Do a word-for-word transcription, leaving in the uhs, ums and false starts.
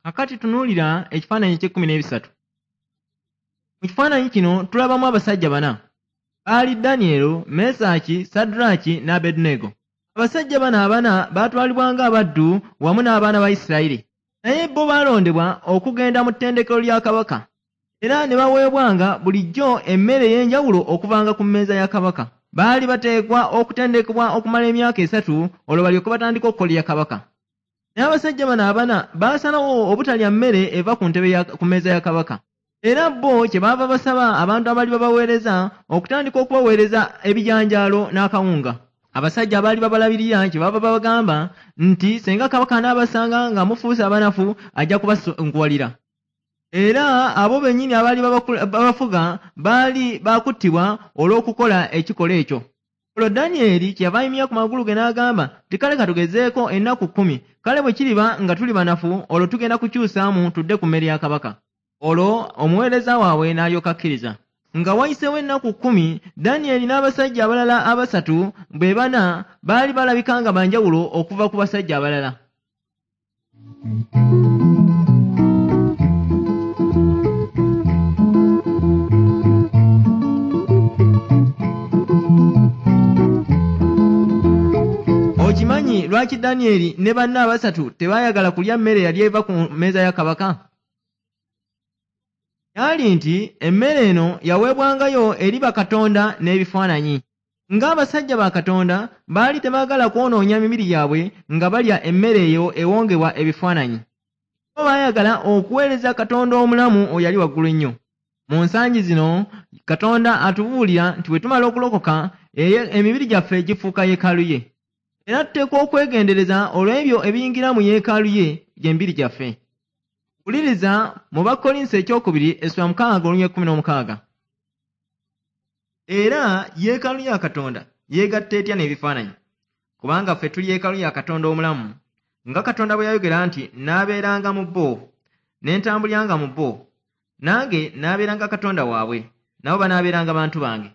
Kakati tunuulira ekifaananyi eky'ekkumi n'ebisatu. Mu kifaananyi kino tulabamu abasajja bana. Baali Danyeri, Mesaki, Sadraki ne Abeduneego. Abasajja bano abana baatwalibwa ng'abaddu wamu n'abaana ba Isirayiri. Naye bo baalondebwa okugenda mu ttendekero lya kabaka. Era ne baweebwanga bulijjo emmere ey'enjawulo okuvanga ku mmeeza ya kabaka. Baali bateekwa okutendekebwa okumala emyaka esatu olwo balyoke batandike okukolera kabaka. Naye abasajja bano abana baasalawo obutalya mmere eva ku ntebe ya ku mmeeza ya kabaka. Era bo kye baava basaba abantu abaali babaweereza okutandika okubaweereza ebijanjaalo n'akawunga. Abasajja abaali babalabirira kye baava babagamba nti singa kabaka anaabasanga nga mufuuse abanafu ajja kubasunguwalira. Era abo bennyini abaali babafuga baali baakuttibwa olw'okukola ekikolwa ekyo. Olwo Danyeri kyeyava ayimirira ku magulu ge n'agamba nti kale katugezeeko ennaku kkumi, kale bwe kiriba nga tuli banafu olwo tugenda kukyusaamu tudde ku mmere ya kabaka. Olwo omuweereza waabwe n'alyoka akkiriza. Nga wayiseewo ennaku kkumi, Danyeri n'abasajja abalala abasatu bwe bana baali balabika nga banjawulo okuva ku basajja abalala. Okimanyi lwaki Danyeri ne banne abasatu tebaayagala kulya mmere yali eva ku mmeeza ya kabaka? Kyali nti emmere eno yaweebwangayo eri bakatonda n'ebifaananyi. Ng'abasajja ba Katonda baali tebaagala kwonoonya mibiri gyabwe nga balya emmere eyo ewongebwa ebifaananyi. Bo baayagala okuweereza Katonda omulamu oyo ali waggulu ennyo. Mu nsangi zino Katonda atubuulira nti bwe tumala okulokoka emibiri gyaffe gifuuka yeekaalu ye. Era tuteekwa okwegendereza olw'ebyo ebiyingira mu yeekaalu ye gy'emibiri gyaffe. Wuliriza mu Bakkolinso ekyokubiri essula mukaaga olunyiriri ekkumi n'omukaaga. Era yeekaalu ya Katonda yeegatta etya n'ebifaananyi? Kubanga ffe tuli yeekaalu ya Katonda omulamu, nga Katonda bwe yayogera nti n'abeeranga mu bo, ne ntambuliranga mu bo, nange n'abeeranga Katonda waabwe, nabo banaabeeranga bantu bange.